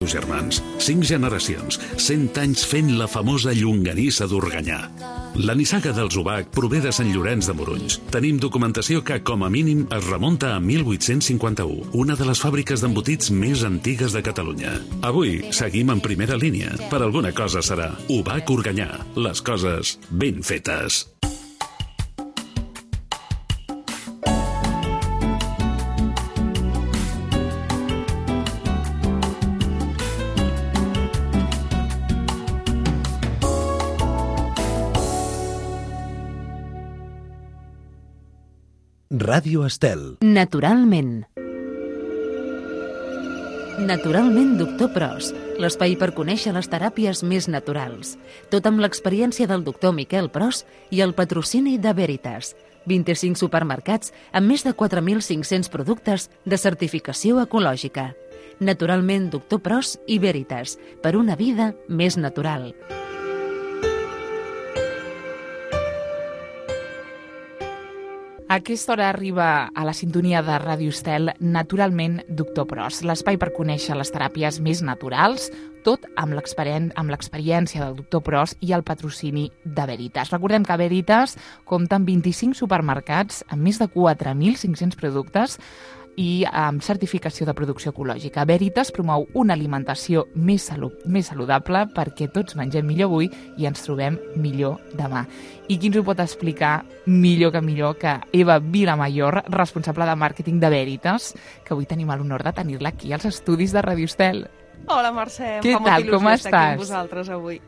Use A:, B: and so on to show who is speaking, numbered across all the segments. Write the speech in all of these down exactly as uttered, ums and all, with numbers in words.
A: seus germans. Cinc generacions, cent anys fent la famosa llonganissa d'Organyà. La nissaga dels Ubac prové de Sant Llorenç de Morunys. Tenim documentació que, com a mínim, es remunta a mil vuit-cents cinquanta-u, una de les fàbriques d'embotits més antigues de Catalunya. Avui seguim en primera línia. Per alguna cosa serà Ubac Organyà. Les coses ben fetes.
B: Ràdio Estel.
C: Naturalment. Naturalment, doctor Pros, l'espai per conèixer les teràpies més naturals. Tot amb l'experiència del doctor Miquel Pros i el patrocini de Veritas. vint-i-cinc supermercats amb més de quatre mil cinc-cents productes de certificació ecològica. Naturalment, doctor Pros i Veritas, per una vida més natural.
D: A aquesta hora arriba a la sintonia de Ràdio Estel Naturalment, doctor Pros, l'espai per conèixer les teràpies més naturals, tot amb l'experiència del doctor Pros i el patrocini de Veritas. Recordem que Veritas compta amb vint-i-cinc supermercats amb més de quatre mil cinc-cents productes i amb certificació de producció ecològica. Veritas promou una alimentació més, salu més saludable perquè tots mengem millor avui i ens trobem millor demà. I qui ens ho pot explicar millor que millor que Eva Vilamayor, responsable de màrqueting de Veritas, que avui tenim l'honor de tenir-la aquí als estudis de Ràdio Estel.
E: Hola, Mercè.
D: Què tal, com estàs?
E: Estar aquí amb vosaltres avui.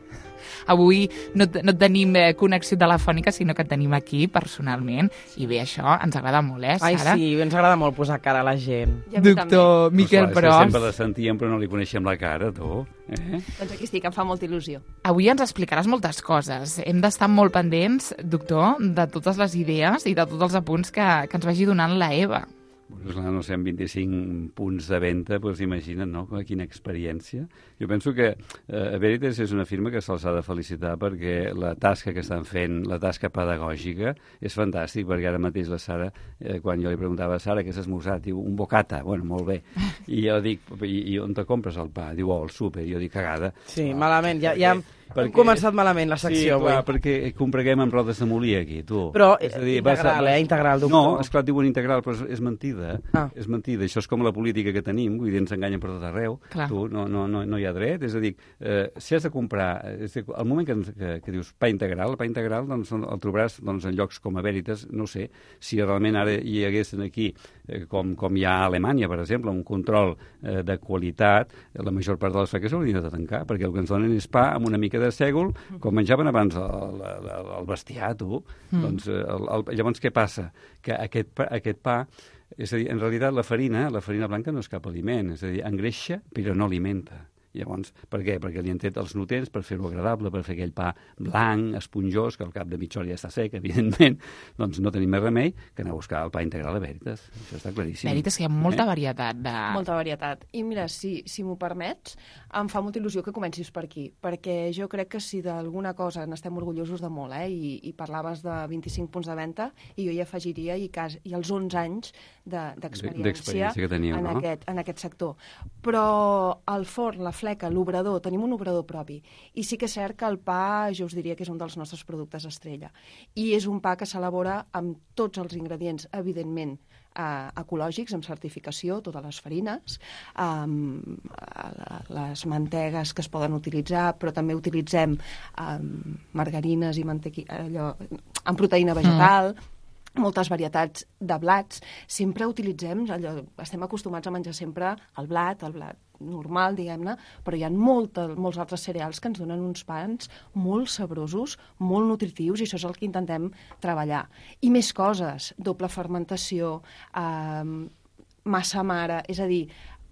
D: Avui no, no tenim eh, connexió telefònica, sinó que et tenim aquí personalment. I bé, això ens agrada molt, eh, Sara?
F: Ai, sí, ens agrada molt posar cara a la gent.
D: Doctor Miquel
G: Pros.
D: Pros.
G: Sempre la sentíem, però no li coneixem la cara, tu. Eh?
E: Doncs aquí estic, em fa molta il·lusió.
D: Avui ens explicaràs moltes coses. Hem d'estar molt pendents, doctor, de totes les idees i de tots els apunts que, que ens vagi donant la Eva.
G: Pues, no sé, amb vint-i-cinc punts de venda, doncs imagina't, no?, quina experiència. Jo penso que eh, Veritas és una firma que se'ls ha de felicitar perquè la tasca que estan fent, la tasca pedagògica, és fantàstic, perquè ara mateix la Sara, eh, quan jo li preguntava a Sara què s'ha esmorzat, diu, un bocata, bueno, molt bé. I jo dic, i, i on te compres el pa? Diu, oh, al súper. Jo dic, cagada.
F: Sí,
G: oh,
F: malament, ja, ja hem,
G: perquè,
F: hem començat malament la secció.
G: Sí, clar,
F: avui.
G: perquè compreguem amb rodes de molí aquí, tu.
F: Però
G: és a dir,
F: integral,
G: vas a...
F: eh, integral, doctor.
G: No, esclar, diuen integral, però és, és mentida.
F: Ah.
G: És mentida. Això és com la política que tenim, vull dir, ens enganyen per tot arreu.
D: Clar.
G: Tu, no, no, no, no hi ha dret. És a dir, eh, si has de comprar... És dir, al moment que, que, que dius pa integral, el pa integral doncs, el trobaràs doncs, en llocs com a Veritas, no sé, si realment ara hi haguessin aquí, eh, com, com hi ha a Alemanya, per exemple, un control eh, de qualitat, la major part de les fàbriques s'haurien de tancar, perquè el que ens donen és pa amb una mica de sègol, com menjaven abans el, el, el bestiar, tu. Mm. Doncs, el, el, llavors, què passa? Que aquest pa, aquest pa, és a dir, en realitat la farina, la farina blanca no és cap aliment, és a dir, engreixa però no alimenta. Llavors, per què? Perquè li han tret els nutrients per fer-ho agradable, per fer aquell pa blanc, esponjós, que al cap de mitja hora ja està sec, evidentment. Doncs no tenim més remei que anar a buscar el pa integral a Veritas. Això està claríssim.
D: Veritas, que hi ha molta
G: eh?
D: varietat. De...
E: Molta varietat. I mira, si, si m'ho permets, em fa molta il·lusió que comencis per aquí, perquè jo crec que si d'alguna cosa n'estem orgullosos de molt, eh? I, i parlaves de vint-i-cinc punts de venda, i jo hi afegiria i, cas, i els onze anys d'experiència
G: de, que teniu,
E: en,
G: no?
E: aquest, en aquest sector. Però el forn, la fleca, l'obrador, tenim un obrador propi. I sí que és cert que el pa, jo us diria que és un dels nostres productes estrella. I és un pa que s'elabora amb tots els ingredients, evidentment, eh, ecològics, amb certificació, totes les farines, eh, les mantegues que es poden utilitzar, però també utilitzem eh, margarines i mantequi... allò, amb proteïna vegetal, mm. moltes varietats de blats. Sempre utilitzem, allò, estem acostumats a menjar sempre el blat, el blat normal, diguem-ne, però hi ha molta, molts altres cereals que ens donen uns pans molt sabrosos, molt nutritius, i això és el que intentem treballar. I més coses, doble fermentació, eh, massa mare, és a dir,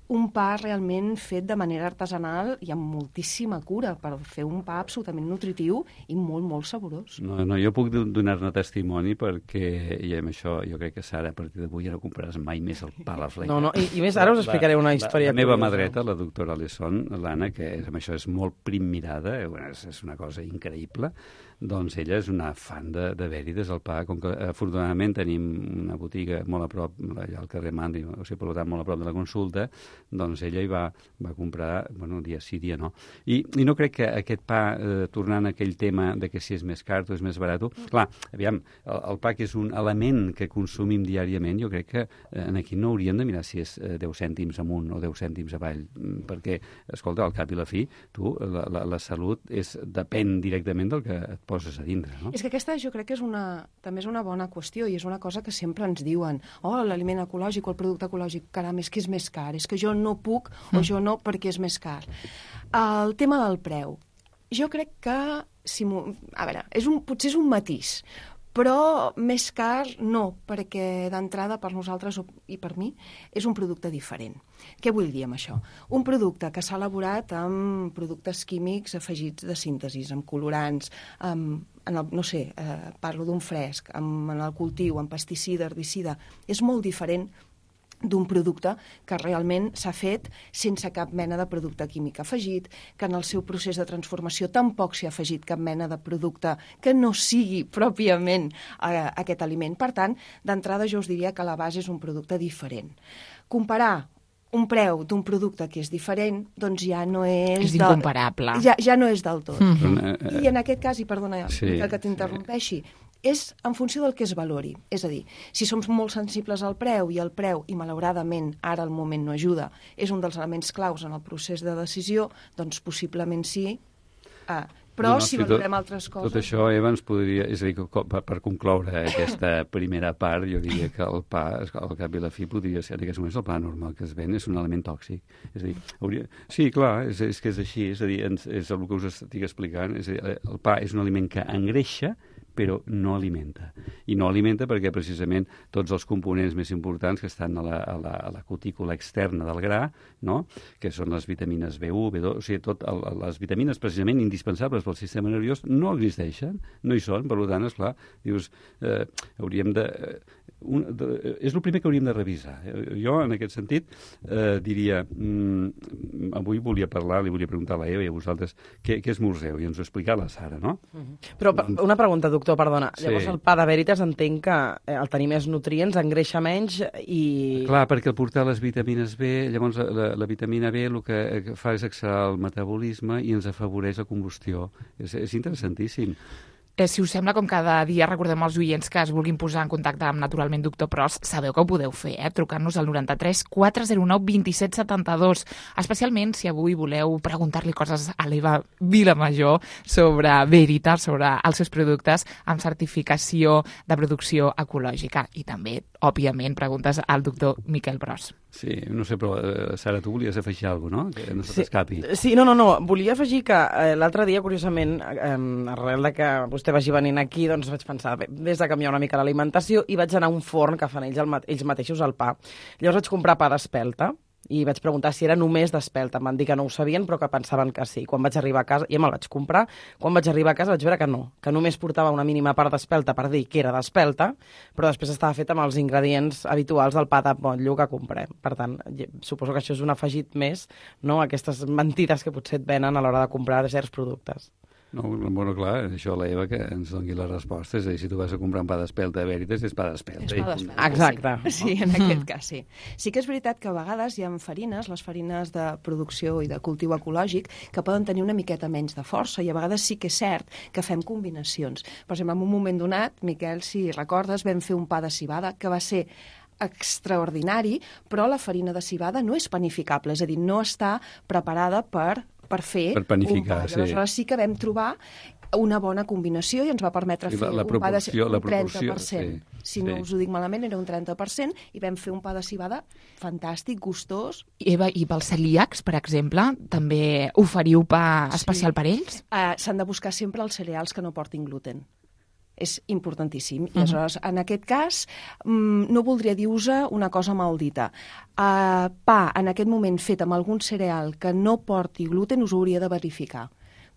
E: un pa realment fet de manera artesanal i amb moltíssima cura per fer un pa absolutament nutritiu i molt, molt saborós.
G: No, no, jo puc donar-ne testimoni perquè, i amb això jo crec que Sara, a partir d'avui ja no compraràs mai més el pa a la fleca.
F: No, no, i, i més ara us explicaré una història.
G: La, la meva mà dreta, la doctora Lesson, l'Anna, que és, amb això és molt prim mirada, eh, bueno, és, és una cosa increïble, doncs ella és una fan de, de Veritas, el pa, com que afortunadament tenim una botiga molt a prop, allà al carrer Mandi, o sigui, per tant, molt a prop de la consulta, doncs ella hi va, va comprar, bueno, dia sí, dia no. I, i no crec que aquest pa, eh, tornant a aquell tema de que si és més car o és més barat, clar, aviam, el, el pa que és un element que consumim diàriament, jo crec que eh, aquí no hauríem de mirar si és eh, deu cèntims amunt o deu cèntims avall, perquè, escolta, al cap i la fi, tu, la, la, la salut és, depèn directament del que et poses a dintre, no?
E: És que aquesta jo crec que és una, també és una bona qüestió i és una cosa que sempre ens diuen, oh, l'aliment ecològic o el producte ecològic, caram, és que és més car, és que jo no puc mm. o jo no perquè és més car. El tema del preu, jo crec que, si a veure, és un, potser és un matís, però més car no, perquè d'entrada per nosaltres i per mi és un producte diferent. Què vull dir amb això? Un producte que s'ha elaborat amb productes químics afegits de síntesis, amb colorants, amb, en el, no sé, eh, parlo d'un fresc, amb, en el cultiu, amb pesticida, herbicida, és molt diferent d'un producte que realment s'ha fet sense cap mena de producte químic afegit, que en el seu procés de transformació tampoc s'hi ha afegit cap mena de producte que no sigui pròpiament eh, aquest aliment. Per tant, d'entrada jo us diria que la base és un producte diferent. Comparar un preu d'un producte que és diferent, doncs ja no és...
D: És incomparable.
E: De, ja, ja no és del tot.
G: Mm-hmm.
E: I en aquest cas, i perdona
G: sí,
E: que t'interrompeixi, sí. és en funció del que es valori. És a dir, si som molt sensibles al preu i el preu, i malauradament ara el moment no ajuda, és un dels elements claus en el procés de decisió, doncs possiblement sí. Ah, però no, no, si valorem tot, altres coses...
G: Tot això, Eva, ens podria... És a dir, per, per concloure aquesta primera part, jo diria que el pa, al cap i la fi, podria ser, en aquests moments, el pa normal que es ven és un element tòxic. És a dir, hauria... Sí, clar, és, és que és així, és a dir, és el que us estic explicant, és a dir, el pa és un aliment que engreixa, però no alimenta. I no alimenta perquè precisament tots els components més importants que estan a la, a la, a la cutícula externa del gra, no? Que són les vitamines B u, B dos, o sigui, tot el, les vitamines precisament indispensables pel sistema nerviós no existeixen, no hi són, per tant, esclar, dius, eh, hauríem de... Un, de, és el primer que hauríem de revisar. Jo, en aquest sentit, eh, diria, mm, avui volia parlar, li volia preguntar a la Eva i a vosaltres què, què esmorzeu, i ens ho explica la Sara, no?
F: Mm-hmm. Però una pregunta, doctor, perdona.
G: Sí.
F: Llavors el pa de Veritas entenc que el tenir més nutrients engreixa menys i...
G: Clar, perquè al portar les vitamines B, llavors la, la vitamina B el que fa és accelerar el metabolisme i ens afavoreix la combustió. És, és interessantíssim.
D: Eh, si us sembla, com cada dia recordem als oients que es vulguin posar en contacte amb Naturalment Doctor Pros, sabeu que ho podeu fer, eh? Trucant-nos al noranta-tres quatre zero nou vint set setanta-dos. Especialment si avui voleu preguntar-li coses a l'Eva Vilamajor sobre Veritas, sobre els seus productes amb certificació de producció ecològica. I també, òbviament, preguntes al doctor Miquel Pros.
G: Sí, no sé, però, eh, Sara, tu volies afegir alguna cosa, no? Que no se t'escapi.
F: Sí, sí, no, no, no. Volia afegir que eh, l'altre dia, curiosament, eh, arrel de que vostè vagi venint aquí, doncs vaig pensar, bé, des de canviar una mica l'alimentació, i vaig anar a un forn que fan ells, el, ells mateixos el pa. Llavors vaig comprar pa d'espelta, i vaig preguntar si era només d'espelta. Em van dir que no ho sabien, però que pensaven que sí. Quan vaig arribar a casa, ja me'l vaig comprar, quan vaig arribar a casa vaig veure que no, que només portava una mínima part d'espelta per dir que era d'espelta, però després estava fet amb els ingredients habituals del pa de motllo que comprem. Per tant, suposo que això és un afegit més, no?, aquestes mentides que potser et venen a l'hora de comprar certs productes.
G: No, bueno, clar, això la Eva que ens doni la resposta. És a dir, si tu vas a comprar un pa d'espelta a Veritas, és pa d'espelta.
E: És pa d'espelta,
F: exacte.
E: Sí. Sí, en aquest cas sí. Sí que és veritat que a vegades hi ha farines, les farines de producció i de cultiu ecològic, que poden tenir una miqueta menys de força, i a vegades sí que és cert que fem combinacions. Per exemple, en un moment donat, Miquel, si recordes, vam fer un pa de civada que va ser extraordinari, però la farina de civada no és panificable, és a dir, no està preparada per per fer
G: per panificar,
E: un pa. I aleshores sí. sí que vam trobar una bona combinació i ens va permetre fer
G: la, la
E: un pa de un
G: la
E: trenta per cent.
G: Sí,
E: si no sí. us ho dic malament, era un trenta per cent, i vam fer un pa de civada fantàstic, gustós.
D: Eva, i pels celíacs, per exemple, també oferiu pa especial sí. per ells?
E: Uh, S'han de buscar sempre els cereals que no portin gluten. És importantíssim. I aleshores, uh-huh. en aquest cas, mmm, no voldria dir-vos una cosa maldita. Uh, pa, en aquest moment, fet amb algun cereal que no porti gluten, us ho hauria de verificar.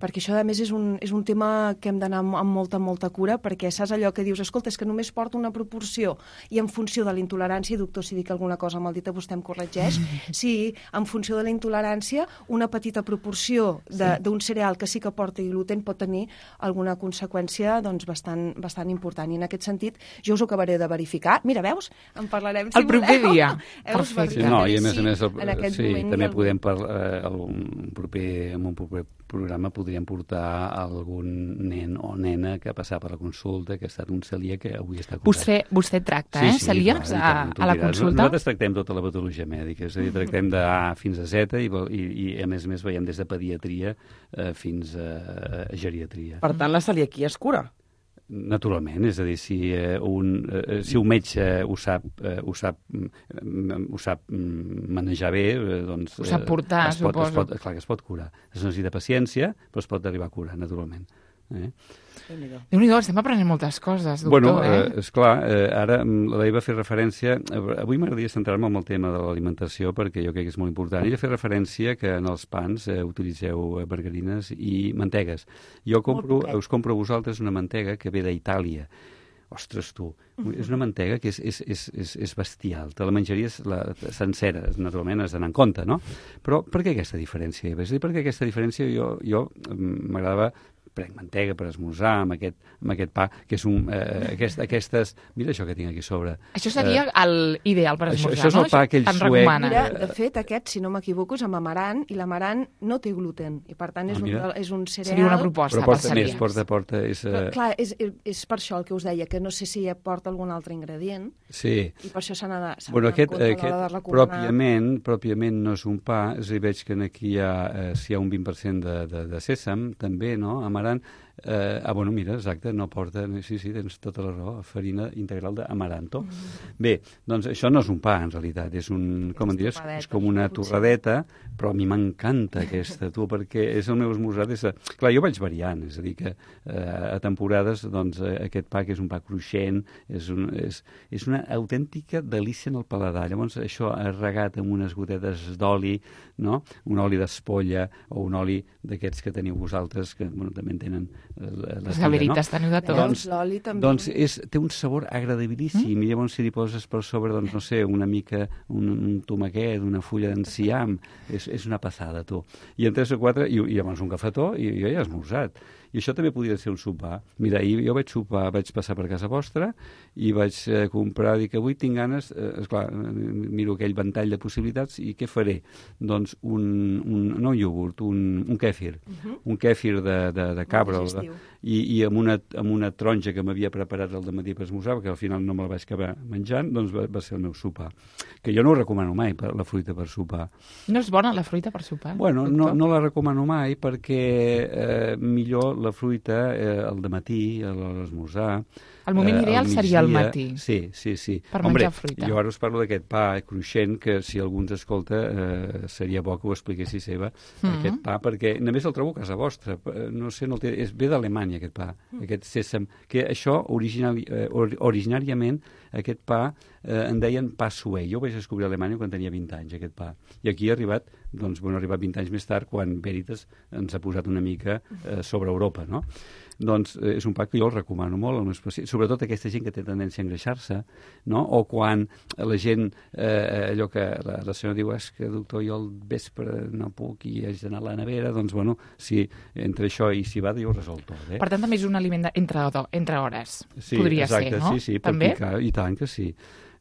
E: perquè això, a més, és un, és un tema que hem d'anar amb, amb molta, molta cura, perquè saps allò que dius, escolta, és que només porta una proporció, i en funció de la intolerància, doctor, si dic alguna cosa mal dita, vostè em corregeix, sí, en funció de la intolerància, una petita proporció d'un sí. cereal que sí que porta gluten pot tenir alguna conseqüència doncs, bastant, bastant important. I en aquest sentit, jo us ho acabaré de verificar. Mira, veus? En parlarem, si
D: el proper
E: voleu.
D: dia.
G: Perfecte. Sí, no, i a més a més, el,
E: en aquest
G: sí,
E: moment
G: també
E: el...
G: podem parlar, un proper, en un proper programa podríem portar algun nen o nena que ha passat per la consulta, que ha estat un celíac que avui està curat.
D: Vostè, vostè tracta, eh,
G: sí, sí,
D: celíacs
G: clar,
D: a,
G: tant,
D: a la
G: diràs.
D: consulta?
G: Nosaltres tractem tota la patologia mèdica, és a dir, tractem de A fins a Z i, i, i a més a més veiem des de pediatria eh, fins a, a geriatria.
F: Per tant, la celiaquia es cura?
G: Naturalment, és a dir, si, eh, un, eh, si un metge ho sap, eh, ho sap, mm, ho sap manejar bé, eh, doncs...
D: Ho sap portar,
G: es pot,
D: suposo.
G: Es pot, clar que es pot curar. Es necessita paciència, però es pot arribar a curar, naturalment. Eh?
D: Déu-n'hi-do, estem aprenent moltes coses, doctor.
G: Bueno,
D: eh?
G: eh, esclar, eh, ara l'Eva va fer referència... Avui m'agradaria centrar-me en el tema de l'alimentació perquè jo crec que és molt important. Ella ha fet referència que en els pans eh, utilitzeu margarines i mantegues. Jo compro, us compro a vosaltres una mantega que ve d'Itàlia. Ostres, tu, uh-huh. és una mantega que és, és, és, és, és bestial. Te la menjaries la, sencera, naturalment has d'anar en compte, no? Però per què aquesta diferència, Eva? És a dir, per què aquesta diferència jo, jo m'agradava prenc mantega per esmorzar amb aquest, amb aquest pa, que és un... Eh, aquest, aquestes... Mira això que tinc aquí a sobre.
D: Això seria eh, l'ideal per esmorzar,
G: això, això és
D: no?
G: el pa aquell suec.
D: Recomana.
E: Mira, de fet, aquest, si no m'equivoco, és amb amaran, i l'amaran no té gluten, i per tant és,
G: ah,
E: un, és un cereal...
D: Seria una proposta.
G: Però porta més, porta, porta... És,
E: Però, clar, és, és per això el que us deia, que no sé si porta algun altre ingredient,
G: sí.
E: i per això s'ha de,
G: bueno, aquest,
E: de
G: aquest
E: de recomanar...
G: pròpiament, pròpiament no és un pa, és a dir, veig que aquí hi ha, eh, si hi ha un vint per cent de, de, de sèsam, també, no?, amaran. Eh, ah, bueno, mira, exacte, no porta... Sí, sí, tens tota la raó, farina integral d'amaranto. Mm. Bé, doncs això no és un pa, en realitat, és un, com en diries, és com una torradeta, però a mi m'encanta aquesta, tu, perquè és el meu esmorzar. És... Clar, jo vaig variant, és a dir, que eh, a temporades, doncs, aquest pa, que és un pa cruixent, és, un, és, és una autèntica delícia en el paladar. Llavors, això regat amb unes gotetes d'oli, no?, un oli d'espolla o un oli d'aquests que teniu vosaltres, que, bueno, també en tenen
D: les gaverites, no? Teniu de tot.
G: Doncs, doncs és, té un sabor agradabilíssim, mm? I llavors si li poses per sobre, doncs no sé, una mica, un, un tomaquet, una fulla d'enciam, és, és una passada, tu. I en tres o quatre, i, i llavors un cafetó, i jo ja he esmorzat. I això també podria ser un sopar. Mira, jo vaig sopar, vaig passar per casa vostra i vaig eh, comprar, dic, avui tinc ganes, eh, esclar, miro aquell ventall de possibilitats i què faré? Doncs un, un no un iogurt, un, un kèfir, uh-huh. un kèfir de, de, de cabra, de, i, i amb, una, amb una taronja que m'havia preparat el dematí per esmorzar, perquè al final no me la vaig acabar menjant, doncs va, va ser el meu sopar. Que jo no ho recomano mai, per, la fruita per sopar.
D: No és bona la fruita per sopar?
G: Bueno, no, no la recomano mai perquè eh, millor la fruita eh, al dematí, a l'esmorzar.
D: El moment
G: eh,
D: ideal seria al matí.
G: Sí, sí, sí.
D: Per
G: Hombre,
D: menjar fruita.
G: Jo ara us parlo d'aquest pa cruixent, que si algú ens escolta eh, seria bo que ho expliquessis, Eva, mm-hmm. aquest pa, perquè només el trobo a casa vostra. No sé, no el té, és, ve d'Alemanya, aquest pa, mm. aquest sèsam. Que això, original, eh, or, originàriament, aquest pa eh, en deien pa suec. Jo ho vaig descobrir a Alemanya quan tenia vint anys, aquest pa. I aquí ha arribat, doncs, bueno, ha arribat vint anys més tard, quan Veritas ens ha posat una mica eh, sobre Europa, no? Doncs eh, és un pa que jo el recomano molt, als meus pacients, sobretot aquesta gent que té tendència a engreixar-se, no? O quan la gent, eh, allò que la, la senyora diu, és que doctor, jo al vespre no puc i haig d'anar a la nevera, doncs bueno, si entre això i si va, jo ho resol tot. Eh?
D: Per tant, també és un aliment de, entre, entre hores,
G: sí,
D: podria
G: exacte,
D: ser, no?
G: Sí, sí, per
D: també?
G: picar, i tant que sí.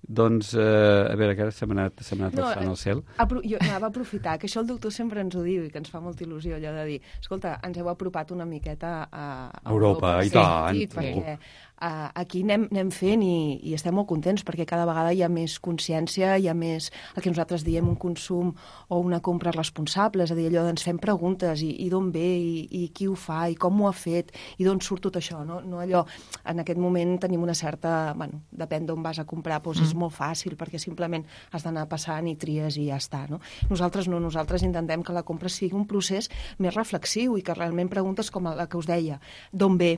G: Doncs, eh, a veure, que ara se m'ha anat, se m'ha anat
E: no,
G: el sant al cel.
E: Apro jo anava a aprofitar, que això el doctor sempre ens ho diu i que ens fa molta il·lusió, allò de dir, escolta, ens heu apropat una miqueta a, a
G: Europa,
E: Europa,
G: i tant.
E: Sí, perquè uh, aquí anem, anem fent i, i estem molt contents perquè cada vegada hi ha més consciència, hi ha més el que nosaltres diem un consum o una compra responsable, és a dir, allò ens fem preguntes i, i d'on ve i, i qui ho fa i com ho ha fet i d'on surt tot això, no? No allò, en aquest moment tenim una certa, bueno, depèn d'on vas a comprar, doncs mm. és molt fàcil perquè simplement has d'anar passant i tries i ja està, no? Nosaltres no, nosaltres intentem que la compra sigui un procés més reflexiu i que realment preguntes com la que us deia, d'on ve,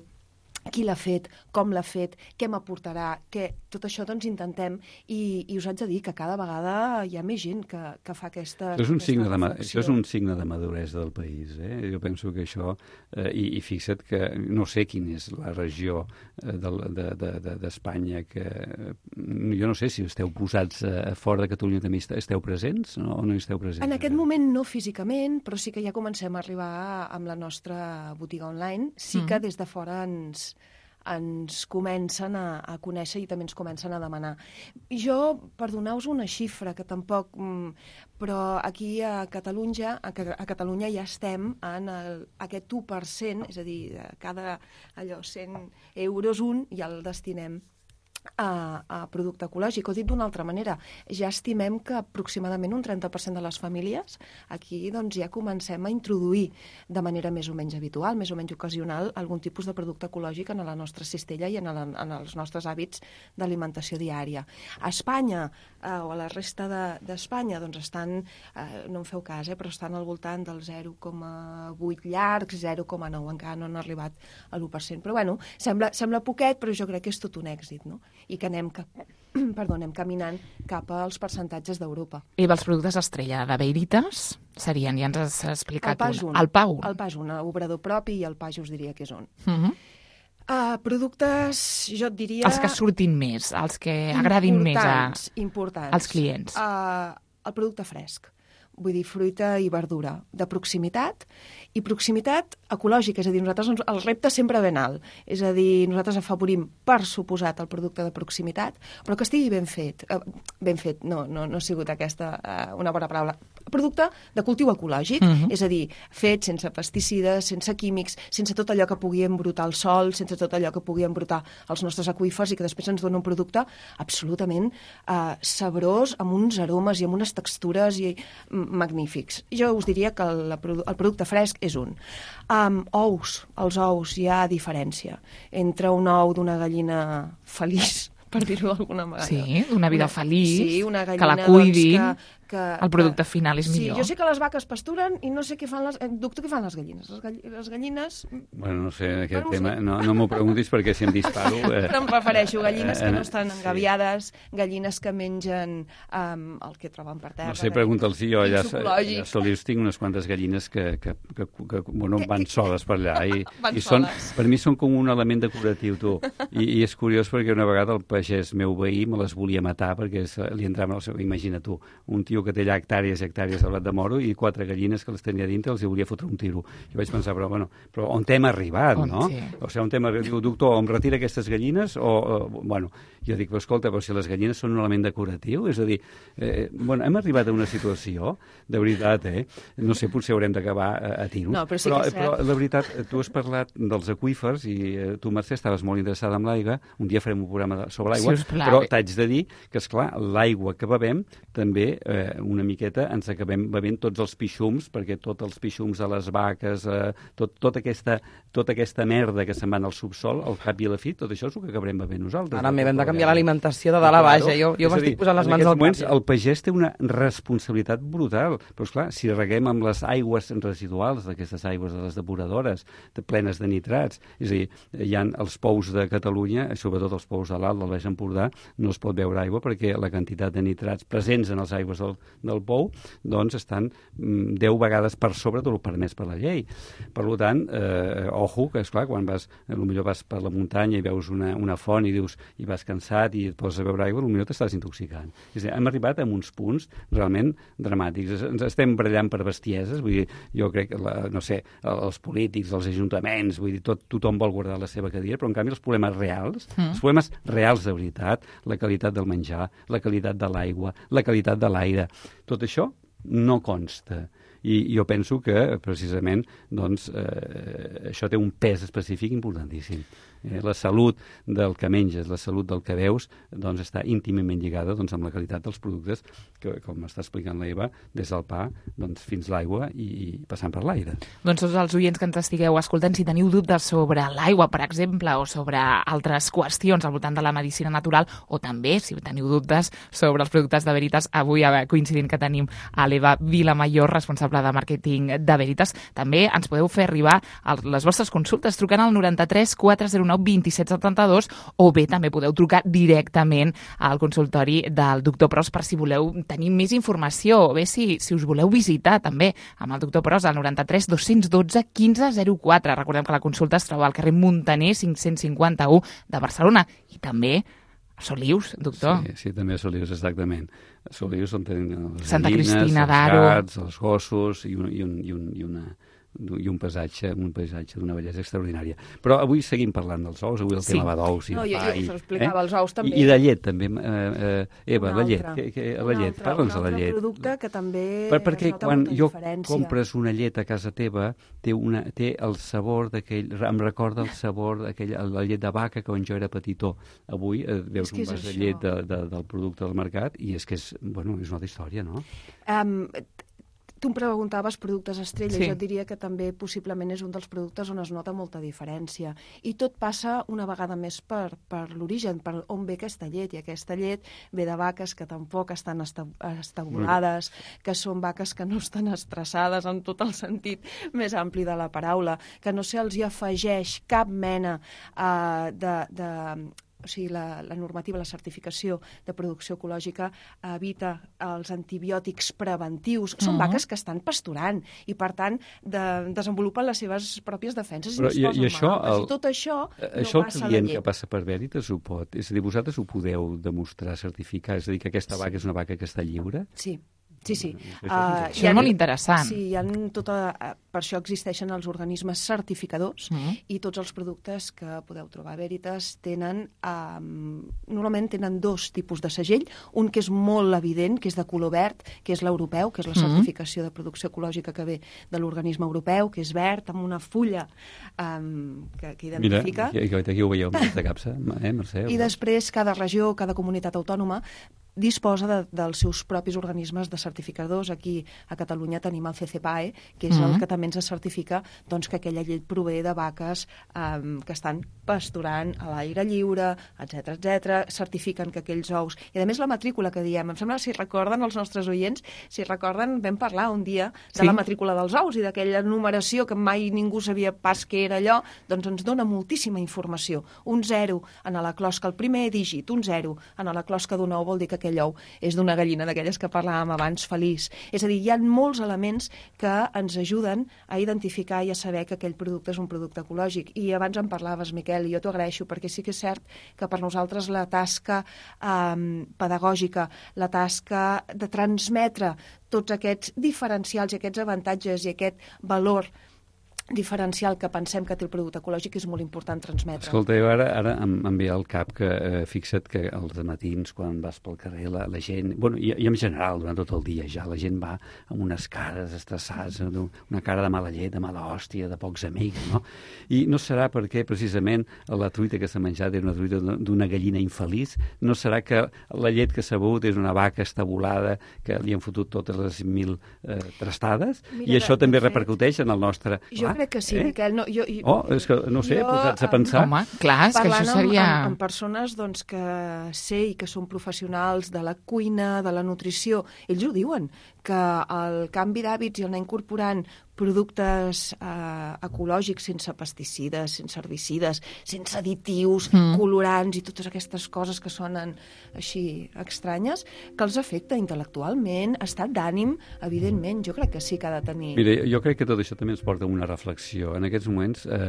E: qui l'ha fet, com l'ha fet, què m'aportarà, què... tot això doncs intentem i, i us haig de dir que cada vegada hi ha més gent que, que fa aquesta,
G: és un
E: aquesta
G: signe de,
E: reflexió.
G: Això és un signe de maduresa del país. Eh? Jo penso que això, eh, i, i fixa't que no sé quina és la regió eh, d'Espanya de, de, de, que... Eh, jo no sé si esteu posats eh, fora de Catalunya també esteu presents o no hi esteu presents.
E: En aquest moment no físicament, però sí que ja comencem a arribar amb la nostra botiga online. Sí que des de fora ens... ens comencen a, a conèixer i també ens comencen a demanar. Jo, per donar-vos una xifra, que tampoc... Però aquí a Catalunya, a, a Catalunya ja estem en el, aquest u per cent, és a dir, cada allò cent euros un ja el destinem a, a producte ecològic. O dit d'una altra manera, ja estimem que aproximadament un trenta per cent de les famílies aquí doncs, ja comencem a introduir de manera més o menys habitual, més o menys ocasional, algun tipus de producte ecològic en la nostra cistella i en, el, en els nostres hàbits d'alimentació diària. A Espanya, eh, o a la resta d'Espanya, de, doncs estan, eh, no en feu cas, eh, però estan al voltant del zero coma vuit llargs, zero coma nou, encara no han arribat a l'u per cent. Però bueno, sembla, sembla poquet, però jo crec que és tot un èxit, no? I que anem, cap, perdó, anem caminant cap als percentatges d'Europa.
D: I els productes estrella de Veritas serien, ja ens has explicat,
E: el pas un.
D: El pa un.
E: El pas un, obrador propi, i el pa jo us diria que és un.
D: Uh -huh.
E: uh, productes, jo et diria...
D: Els que surtin més, els que agradin més a...
E: importants.
D: als clients.
E: Uh, el producte fresc. Vull dir, fruita i verdura de proximitat, i proximitat ecològica, és a dir, nosaltres el repte sempre ben alt, és a dir, nosaltres afavorim, per suposat, el producte de proximitat, però que estigui ben fet. Eh, ben fet, no, no, no ha sigut aquesta eh, una bona paraula. Producte de cultiu ecològic, uh -huh. és a dir, fet sense pesticides, sense químics, sense tot allò que pugui embrutar el sol, sense tot allò que pugui embrutar els nostres aqüífers i que després ens dona un producte absolutament eh, sabrós, amb uns aromes i amb unes textures i magnífics. Jo us diria que el, el producte fresc és un. Um, ous, els ous, hi ha diferència entre un ou d'una gallina feliç, per dir-ho d'alguna manera.
D: Sí, una vida
E: una,
D: feliç,
E: sí, una gallina,
D: que la cuidin,
E: doncs, que, que,
D: el producte
E: que,
D: final és millor.
E: Sí, jo sé que les vaques pasturen i no sé què fan les... Doctor, què fan les gallines? Les, gall, les gallines...
G: Bueno, no sé, aquest
E: bueno,
G: tema...
E: sé.
G: No, no m'ho preguntis perquè si em disparo... Eh,
E: Però em prefereixo gallines que no estan
G: sí.
E: engaviades, gallines que mengen um, el que troben per terra.
G: No sé, pregunta'ls si jo allà, allà a Solius tinc unes quantes gallines que, que, que, que bueno, van soles per allà i,
E: van
G: i són,
E: soles.
G: per mi són com un element decoratiu, tu. I, i és curiós perquè una vegada el pagès meu veí me les volia matar perquè li entrava en el seu... Imagina tu, un tio que té allà hectàrees i hectàrees de blat de moro i quatre gallines que les tenia dintre els hi volia fotre un tiro. I vaig pensar, però, bueno, però on hem arribat,
D: on
G: no?
D: Sí.
G: O sigui, on hem arribat? Diu, doctor, em retira aquestes gallines? O, o, bueno, jo dic, però escolta, però si les gallines són un element decoratiu, és a dir, eh, bueno, hem arribat a una situació, de veritat, eh? No sé, potser haurem d'acabar a, a tiros.
E: No, però sí
G: però,
E: que és cert.
G: però, la veritat, tu has parlat dels aqüífers i eh, tu, Mercè, estaves molt interessada en l'aigua. Un dia farem un programa de, sobre l'aigua,
D: sí,
G: però t'haig de dir que, esclar, l'aigua que bevem també eh, una miqueta ens acabem bevent tots els pixums, perquè tots els pixums de les vaques, eh, tot, tota, aquesta, tota aquesta merda que se'n va al subsol, al cap i a la fi, tot això és el que acabarem bevent nosaltres.
F: Ara m'he de canviar l'alimentació de dalt a baix, eh? Jo, jo m'estic posant les mans al
G: moments,
F: cap.
G: El pagès té una responsabilitat brutal, però esclar, si reguem amb les aigües residuals d'aquestes aigües de les depuradores, de, plenes de nitrats, és a dir, hi ha els pous de Catalunya, sobretot els pous de l'Alt, del Baix Empordà, no es pot beure aigua perquè la quantitat de nitrats presents en les aigües del, del pou doncs estan mm, deu vegades per sobre del permès per la llei. Per tant, eh, ojo, que esclar, quan vas, potser vas per la muntanya i veus una, una font i dius i vas cansat i et poses a beure aigua, potser t'estàs intoxicant. És a dir, hem arribat a uns punts realment dramàtics. Ens estem barallant per bestieses, vull dir, jo crec que, la, no sé, els polítics, els ajuntaments, vull dir, tot, tothom vol guardar la seva cadira, però en canvi els problemes reals, mm. els problemes reals de veritat, la qualitat del menjar, la qualitat de l'aigua, la qualitat de l'aire, tot això no consta. I jo penso que, precisament, doncs, eh, això té un pes específic importantíssim. Eh, la salut del que menges, la salut del que veus, doncs està íntimament lligada doncs, amb la qualitat dels productes, que, com està explicant la Eva, des del pa doncs, fins l'aigua i, i passant per l'aire.
D: Doncs tots els oients que ens estigueu escoltant, si teniu dubtes sobre l'aigua, per exemple, o sobre altres qüestions al voltant de la medicina natural, o també, si teniu dubtes sobre els productes de Veritas, avui coincidint que tenim a l'Eva Vilamayor, responsable de màrqueting de Veritas, també ens podeu fer arribar les vostres consultes trucant al noranta-tres quatre zero nou nou vint-i-set setanta-dos, o bé també podeu trucar directament al consultori del doctor Pros per si voleu tenir més informació, o bé si, si us voleu visitar també amb el doctor Pros al noranta-tres dos-cents dotze quinze zero quatre. Recordem que la consulta es troba al carrer Muntaner cinc-cents cinquanta-u de Barcelona, i també a Solius, doctor.
G: Sí, sí, també a Solius, exactament. A Solius on tenen les
D: Santa
G: gallines,
D: Cristina
G: els
D: d'Aro,
G: gats, els gossos i un, i un, i un, i una i un paisatge, un paisatge d'una bellesa extraordinària. Però avui seguim parlant dels ous, avui el
D: Sí.
G: tema va d'ous i
E: No,
G: de
E: jo,
G: pa.
E: jo
G: i,
E: us explicava, els ous també.
G: I, I de llet, també. Eh, eh, Eva,
E: Un
G: la llet.
E: altre.
G: Que, que,
E: Un
G: la llet,
E: altre-
G: parla'ns de la
E: Un
G: llet.
E: altre producte que també
G: Per, perquè
E: es nota
G: quan
E: molta
G: jo
E: diferència.
G: compres una llet a casa teva, té, una, té el sabor d'aquell... Em recorda el sabor d'aquell... La llet de vaca que quan jo era petitó. Avui eh, veus
E: És que
G: un
E: és
G: vas de
E: això.
G: llet de, de, del producte del mercat i és que és, bueno, és una altra història, no?
E: Um, tu em preguntaves productes estrella,
D: Sí.
E: jo et diria que també possiblement és un dels productes on es nota molta diferència. I tot passa una vegada més per, per l'origen, per on ve aquesta llet. I aquesta llet ve de vaques que tampoc estan esta- estabulades, que són vaques que no estan estressades en tot el sentit més ampli de la paraula, que no se'ls hi afegeix cap mena uh, de... de o sigui, la, la normativa, la certificació de producció ecològica evita els antibiòtics preventius. Són
D: Mhm.
E: vaques que estan pasturant i, per tant, de, desenvolupen les seves pròpies defenses
G: Però
E: i
G: i-
E: no es
G: i
E: posen
G: això,
E: malaltes.
G: el-
E: I tot això
G: Eh,
E: no
G: Això el
E: passa a la
G: client que
E: llet.
G: passa per Veritas ho pot. És a dir, vosaltres ho podeu demostrar, certificar, és a dir, que aquesta vaca és una vaca que està lliure?
E: Sí. Sí, sí.
G: Això és
E: Ah,
G: interessant.
D: Això és molt interessant.
E: Sí, hi ha tota, eh, per això existeixen els organismes certificadors
D: Mhm.
E: i tots els productes que podeu trobar a Veritas tenen, um, normalment tenen dos tipus de segell, un que és molt evident, que és de color verd, que és l'europeu, que és la
D: Mhm.
E: certificació de producció ecològica que ve de l'organisme europeu, que és verd, amb una fulla um, que, que
G: Mira,
E: identifica.
G: aquí, aquí, aquí ho veieu amb aquesta capsa, eh, Mercè?
E: I després cada regió, cada comunitat autònoma disposa de, dels seus propis organismes de certificadors. Aquí a Catalunya tenim el C C P A E, que és
D: Mhm.
E: el que també ens certifica doncs, que aquella llet prové de vaques um, que estan pasturant a l'aire lliure, etc etc. Certifiquen que aquells ous... I a més la matrícula que diem, em sembla, si recorden els nostres oients, si recorden, vam parlar un dia de
D: Sí.
E: la matrícula dels ous i d'aquella numeració que mai ningú sabia pas què era allò, doncs ens dona moltíssima informació. Un zero en la closca, el primer dígit, un zero en la closca d'un ou vol dir que aquell ou és d'una gallina d'aquelles que parlàvem abans, feliç. És a dir, hi ha molts elements que ens ajuden a identificar i a saber que aquell producte és un producte ecològic. I abans en parlaves, Miquel, i jo t'ho agraeixo, perquè sí que és cert que per nosaltres la tasca eh, pedagògica, la tasca de transmetre tots aquests diferencials i aquests avantatges i aquest valor diferencial que pensem que té el producte ecològic és molt important transmetre.
G: Escolta, jo ara, ara em, em ve al cap que eh, fixa't que els matins quan vas pel carrer la, la gent, bueno, i, i en general durant tot el dia ja, la gent va amb unes cares estressades, no? Una cara de mala llet, de mala hòstia, de pocs amics, no? I no serà perquè precisament la truita que s'ha menjat és una truita d'una gallina infeliç, no serà que la llet que s'ha begut és una vaca estabulada que li han fotut totes les mil eh, trastades,
E: Mira,
G: i això
E: de-
G: també
E: de fet,
G: repercuteix en el nostre...
E: Jo
G: Clar,
E: crec que sí,
G: eh?
E: Miquel. No, jo, jo,
G: Oh, és que, no sé,
E: jo,
G: posats a
E: em-
G: pensar...
D: Home, clar, és que
E: Parlant
D: això seria...
E: amb, amb, amb persones doncs, que sé i que són professionals de la cuina, de la nutrició, ells ho diuen, que el canvi d'hàbits i anar incorporant productes eh, ecològics sense pesticides, sense herbicides, sense additius, mm. colorants i totes aquestes coses que sonen així estranyes, que els afecta intel·lectualment, estat d'ànim, evidentment, jo crec que sí que ha de tenir...
G: Mira, jo crec que tot això també ens porta a una reflexió. En aquests moments, eh,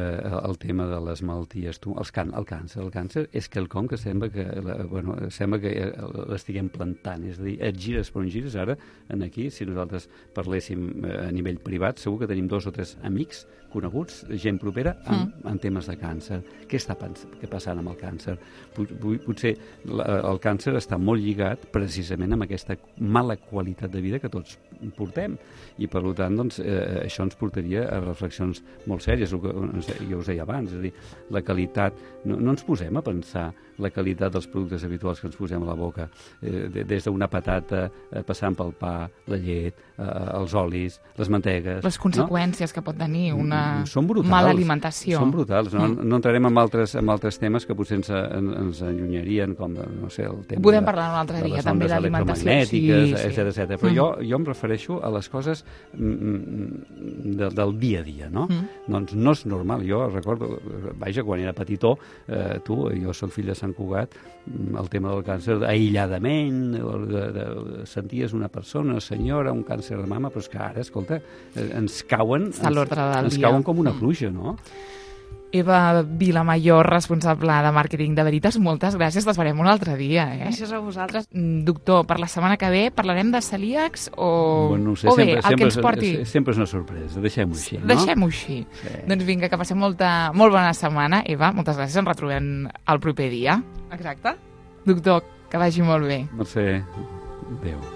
G: el tema de les malalties, tu, els can, el càncer, el càncer és quelcom que sembla que, la, bueno, sembla que l'estiguem plantant, és a dir, et gires per on gires ara, en aquí, si nosaltres parléssim a nivell privat, segur que tenim dos o tres amics coneguts, gent propera, en, mm. en temes de càncer. Què està què passant amb el càncer? Potser la, el càncer està molt lligat precisament amb aquesta mala qualitat de vida que tots portem. I, per tant, doncs, eh, això ens portaria a reflexions molt sèries, el que jo us deia abans, és a dir, la qualitat... No, no ens posem a pensar la qualitat dels productes habituals que ens posem a la boca, eh, des d'una patata, eh, passant pel pa, la llet, eh, els olis, les mantegues...
D: Les conseqüències
G: no?
D: que pot tenir una
G: Són brutals,
D: mala alimentació.
G: Són brutals. No,
D: Mm.
G: no entrarem en altres, en altres temes que potser ens, ens allunyarien, com no sé, el tema
D: Podem
G: de,
D: parlar un altre
G: de
D: dia,
G: les
D: també,
G: ondes
D: d'alimentació.
G: electromagnètiques,
D: Sí, sí.
G: etcètera, etcètera. Però
D: Mm.
G: jo, jo em refereixo a les coses mm, de, del dia a dia, no?
D: Mm.
G: doncs no és normal. Jo recordo, vaja, quan era petitó, eh, tu, jo soc fill de Sant Cugat, el tema del càncer aïlladament, de, de, senties una persona, una senyora, un càncer de mama, però és que ara, escolta, ens cauen, ens, ens cauen com una pluja, no?
D: Eva Vilamayor, responsable de màrqueting de Veritas, moltes gràcies, t'esperem un altre dia. Eh?
E: Gràcies a vosaltres.
D: Doctor, per la setmana que ve parlarem de celíacs o,
G: bueno, no sé,
D: o bé,
G: sempre,
D: el
G: sempre,
D: que ens porti...
G: Sempre és una sorpresa, deixem-ho així, no?
D: Deixem-ho així. Sí. Doncs vinga, que passem molta, molt bona setmana. Eva, moltes gràcies, ens retrobem el proper dia.
E: Exacte.
D: Doctor, que vagi molt bé.
G: Mercè, adéu.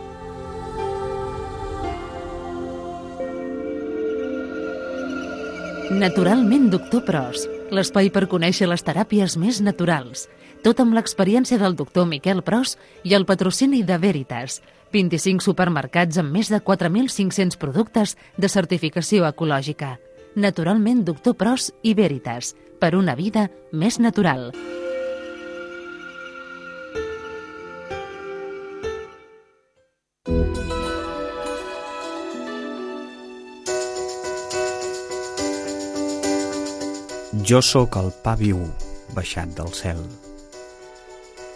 C: Naturalment, doctor Pros, l'espai per conèixer les teràpies més naturals. Tot amb l'experiència del doctor Miquel Pros i el patrocini de Veritas. vint-i-cinc supermercats amb més de quatre mil cinc-cents productes de certificació ecològica. Naturalment, doctor Pros i Veritas, per una vida més natural.
B: Jo sóc el pa viu baixat del cel.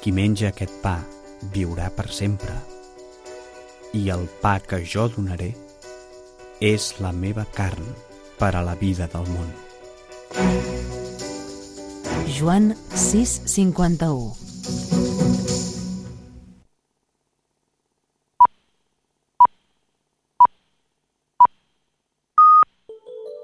B: Qui menja aquest pa viurà per sempre. I el pa que jo donaré és la meva carn per a la vida del món.
C: Joan sis cinquanta-u